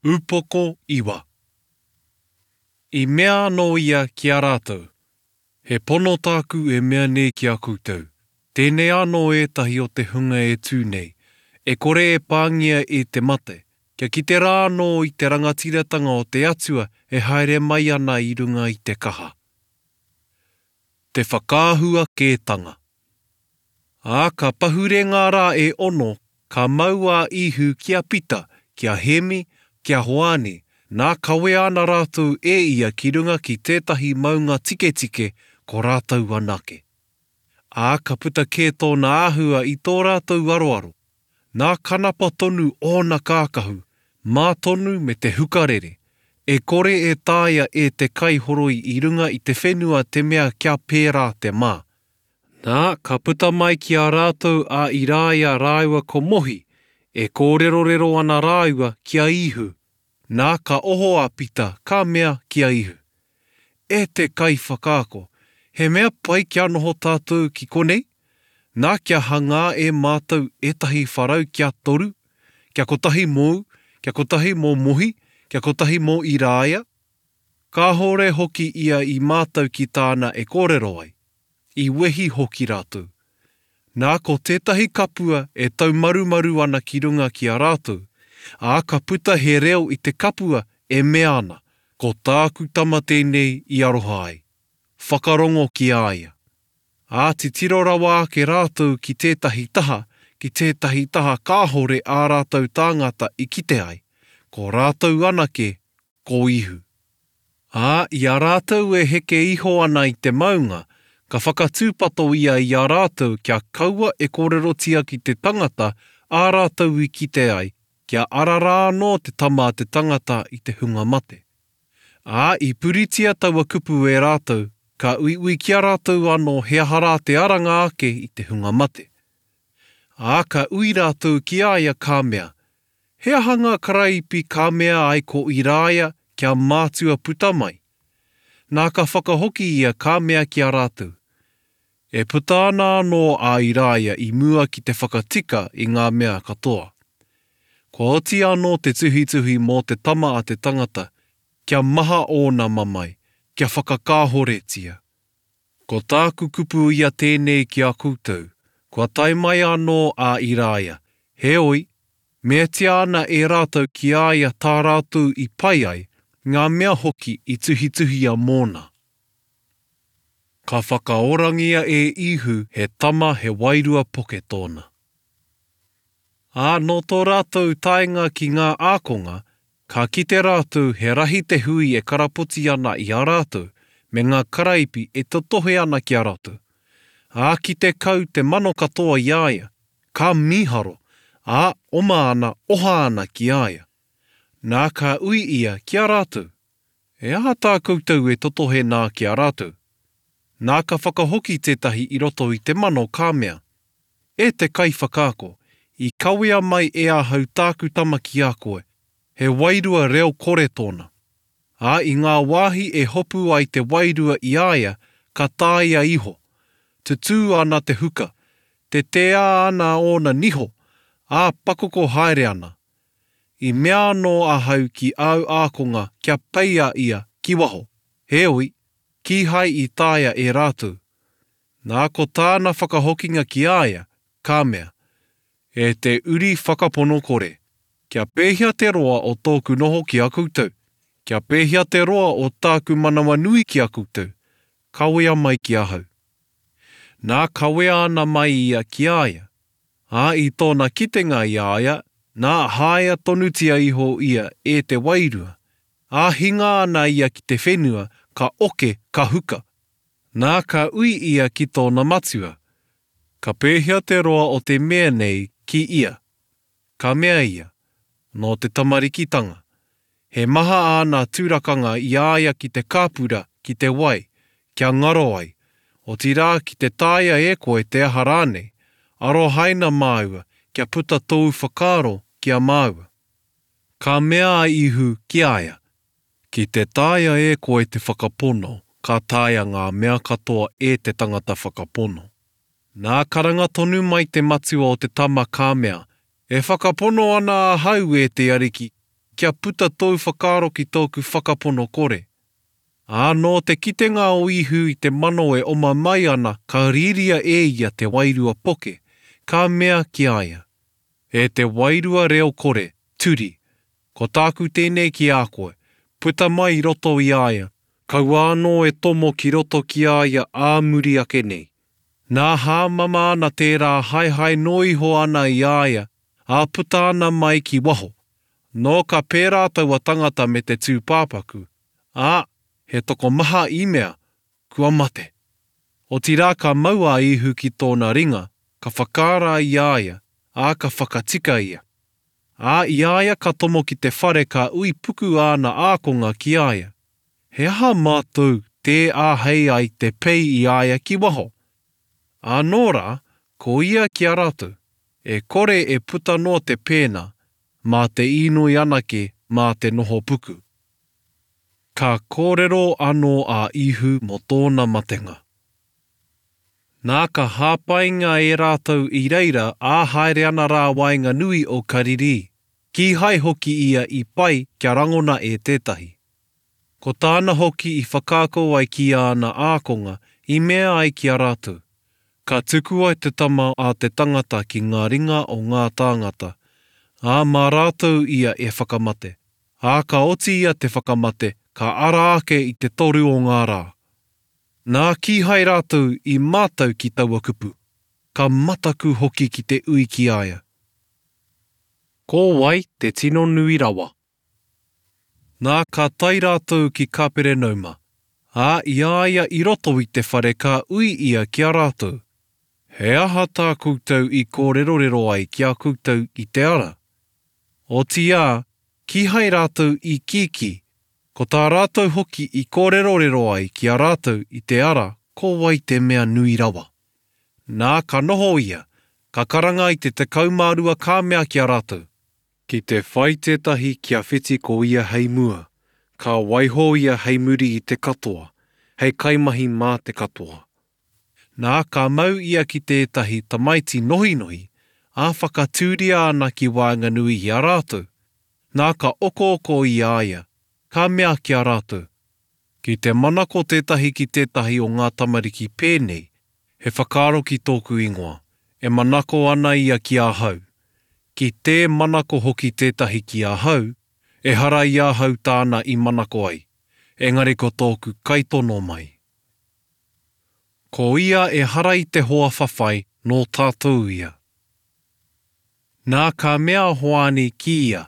Upoko iwa. I mea anō ia ki a rātou, He pono tāku e mea nei ki a koutou, tēnei anō ētahi o te hunga e tū nei, e kore e pāngia e te mate, kia kite rā anō i te rangatiratanga o te Atua e haere mai ana i runga i te kaha. Te whakaahua kētanga. Ā, ka pahure ngā rā e ono, ka mau a Īhu ki a Pita, ki a Hēmi, ki a Hoani, nā, kawea ana rātou e ia ki runga ki tētahi maunga tiketike, ko rātou anake. Ā, ka puta kē tōna āhua i tō rātou aroaro. Nā, kanapa tonu ōna kākahu, mā tonu me te hukarere, e kore e taea e te kaihoroi i runga i te whenua te mea kia pērā te mā. Nā, ka puta mai ki a rātou a Irāia rāua ko Mohi, e kōrerorero ana rāua ki a Īhu. Nā, ka oho a Pita, ka mea ki a Īhu, E te Kaiwhakaako, he mea pai kia noho tātou ki konei? Nā, kia hangā e mātou ētahi wharau kia toru, kia kotahi mōu, kia kotahi mō Mohi, kia kotahi mō Irāia. Kāhore hoki ia i mātau ki tāna e kōrero ai. I wehi hoki rātou. Nā, ko tētahi kapua e taumarumaru ana ki runga ki a rātou, ā, ka puta he reo i te kapua e mea ana, Ko tāku tama tēnei i aroha ai. Whakarongo ki a ia. Ā, titiro rawa ake rātou ki tētahi taha, ki tētahi taha kāhore ā rātou tāngata i kite ai, ko rātou anake ko Ihu. Ā, i a rātou e heke iho ana i te maunga, ka whakatūpato ia i a rātou kia kaua e kōrerotia ki te tangata ā rātou i kite ai, kia ara rā anō te Tama a te tangata i te hunga mate. Ā, i puritia taua kupu e rātou, ka uiui ki a rātou anō he aha rā te aranga ake i te hunga mate. Ā, ka ui rātou ki a ia ka mea, He aha ngā karaipi ka mea ai ko Irāia kia mātua puta mai? Nā ka whakahoki ia ka mea ki a rātou, E puta ana anō a Irāia i mua ki te whakatika i ngā mea katoa. Kua oti anō te tuhituhi mō te Tama a te tangata, kia maha ōna mamae, kia whakakāhoretia. Ko tāku kupu ia tēnei ki a koutou, kua tae mai anō a Irāia, heoi, meatia ana e rātou ki a ia tā rātou i pai ai, ngā mea hoki i tuhituhia mōna. Ka whakaorangia e Īhu he tama he wairua poke tōna. Ā, nō tō rātou taenga ki ngā ākonga, ka kite rātou he rahi te hui e karapoti ana i a rātou, me ngā karaipi e totohe ana ki a rātou. Ā, kite kau te mano katoa i a ia, ka mīharo, ā, oma ana, oha ana ki a ia. Nā, ka ui ia ki a rātou, He aha tā koutou e totohe nā ki a rātou? Nā, ka whakahoki tētahi i roto i te mano, ka mea, E te Kaiwhakaako, i kawea mai e ahau tāku tama ki a koe, he wairua reo kore tōna. Ā, i ngā wāhi e hopu ai te wairua i a ia, ka tāia iho. Tutū ana te huka, teteā ana ōna niho, ā, pakoko haere ana. I mea anō ahau ki āu ākonga kia peia ia ki waho, heoi, kīhai i taea e rātou. Nā, ko tāna whakahokinga ki a ia, ka mea, E te uri whakapono kore, kia pēhea te roa o tōku noho ki a koutou? Kia pēhea te roa o tāku manawanui ki a koutou? Kawea mai ki ahau. Nā, kawea ana mai ia ki a ia. Ā, i tōna kitenga i a ia, nā, haea tonutia iho ia e te Wairua. Ā, hinga ana ia ki te whenua, ka oke, ka huka. Nā, ka ui ia ki tōna matua, Ka pēhea te roa o te mea nei ki ia? Ka mea ia, Nō te tamarikitanga. He maha āna tūrakanga i a ia ki te kāpura, ki te wai, kia ngaro ai, otirā ki te taea e koe te aha rānei, arohaina māua kia puta tōu whakaaro ki a māua. Ka mea a Ihu ki a ia, Ki te taea e koe te whakapono, ka taea ngā mea katoa e te tangata whakapono. Nā karanga tonu mai te matua o te tama ka mea, E whakapono ana ahau e te Ariki. kia puta tōu whakaaro ki tōku whakapono kore. Ā, nō te kitenga o Īhu i te mano e oma mai ana ka rīria e ia te wairua poke, ka mea ki a ia, E te wairua reo kore, turi, ko tāku tēnei ki a koe, puta mai i roto i a ia, kaua anō e tomo ki roto ki a ia ā muri ake nei. Nā hāmama ana tērā haehae noa iho ana i a ia, ā puta ana mai ki waho. Nō ka pērā taua tangata me te tūpāpaku, ā, he tokomaha i mea, kua mate. Otirā ka mau a Īhu ki tōna ringa, ka whakaara i a ia, ā, ka whakatika ia. Ā, i a ia ka tomo ki te whare ka ui puku āna ākonga ki a ia, He aha mātou tē āhei ai te pei i a ia ki waho? Anō rā, ko ia ki a rātou, E kore e puta noa te pēnā, mā te īnoi anake mā te noho puku. Ka kōrero anō a Īhu mō tōna matenga. Nā ka hāpainga e rātou i reira ā haere ana rā waenganui o Karirī, kīhai hoki ia i pai kia rangona e tētahi. Ko tāna hoki i whakaako ai ki āna ākonga, i mea ai ki a rātou, Ka tukua te Tama a te tangata ki ngā ringa o ngā tāngata, ā, mā rātou ia e whakamate, ā, ka oti ia te whakamate, ka ara ake i te toru o ngā rā. Nā, kīhai rātou i mātau ki taua kupu, ka mataku hoki ki te ui ki a ia. Ko wai te tino nui rawa? Nā, ka tae rātou ki Kaperenauma, ā, i a ia i roto i te whare ka ui ia ki a rātou, He aha tā koutou i kōrerorero ai ki a koutou i te ara? Otiia, kīhai rātou i kīkī, ko tā rātou hoki i kōrerorero ai ki a rātou i te ara ko wai te mea nui rawa. Nā, ka noho ia, ka karanga i te 12 ka mea ki a rātou, Ki te whai tētahi kia whiti ko ia hei mua, ka waiho ia hei muri i te katoa, hei kaimahi mā te katoa. Nā, ka mau ia ki tētahi tamaiti nohinohi, ā, whakatūria ana ki waenganui i a rātou. Nā, ka okooko i a ia, ka mea ki a rātou, Ki te manako tētahi ki tētahi o ngā tamariki pēnei, he whakaaro ki tōku ingoa, e manako ana ia ki ahau. Ki tē manako hoki tētahi ki ahau, ehara i ahau tāna i manako ai, engari ko tōku kaitono mai. Ko ia ehara i te hoa whawhai nō tātou ia. Nā ka mea a Hoani ki ia,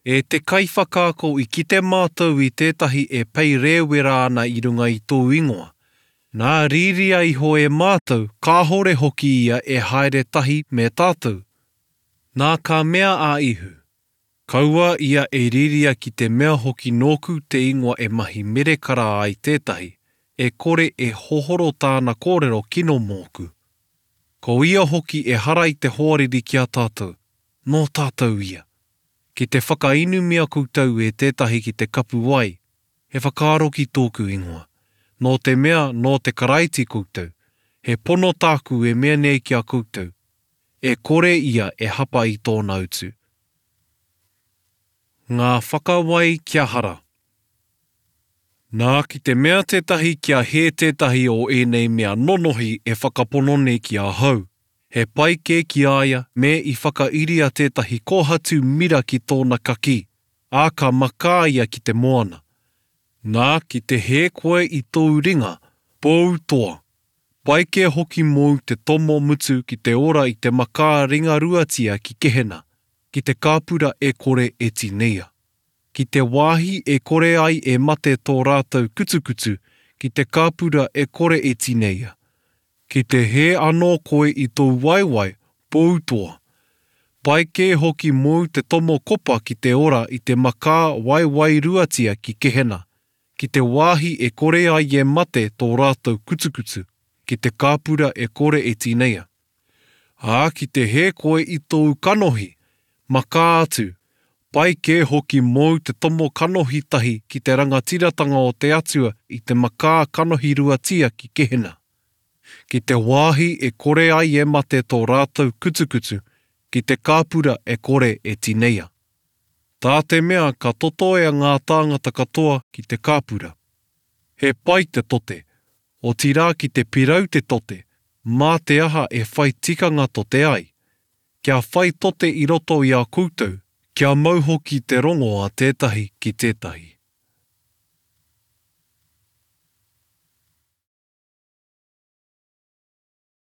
E te Kaiwhakaako i kite mātou i tētahi e pei rēwera ana i runga i tōu ingoa. Nā, rīria iho e mātou, kāhore hoki ia e haere tahi me tātou. Nā ka mea a Ihu, Kaua ia e rīria ki te mea hoki nōku te ingoa e mahi merekara ai tētahi, e kore e hohoro tāna kōrero kino mōku. Ko ia hoki ehara i te hoariri ki a tātou, nō tātou ia. Ki te whakainumia koutou e tētahi ki te kapu wai, he whakaaro ki tōku ingoa, nō te mea nō te Karaiti koutou, he pono tāku e mea nei ki a koutou, e kore ia e hapa i tōna utu. Ngā whakawai kia hara. Nā, ki te mea tētahi kia hē tētahi o ēnei mea nonohi e whakapono nei ki ahau, he pai kē ki a ia me i whakairia tētahi kōhatu mira ki tōna kakī, ā, ka makā ia ki te moana. Nā, ki te hē koe i tōu ringa, pōu toa. Pai kē hoki mōu te tomo mutu ki te ora i te makā ringaruatia ki Kehena, ki te kāpura e kore e tineia. Ki te wāhi e kore ai e mate tō rātou kutukutu, ki te kāpura e kore e tineia. Ki te hē anō koe i tōu waewae, pōu toa. Pai kē hoki mōu te tomo kopa ki te ora i te makā waewaeruatia ki Kehena, ki te wāhi e kore ai e mate tō rātou kutukutu, ki te kāpura e kore e tineia. Ā, ki te hē koe i tōu kanohi, makā atu, pai kē hoki mōu te tomo kanohi tahi ki te rangatiratanga o te Atua i te makā kanohi ruatia ki Kehena, ki te wāhi e kore ai e mate tō rātou kutukutu, ki te kāpura e kore e tineia. Tā te mea ka totoea ngā tāngata katoa ki te kāpura. He pai te tote, otirā ki te pirau te tote, mā te aha e whai tikanga tote ai? Kia whai tote i roto i a koutou, kia mau hoki te rongo a tētahi ki tētahi.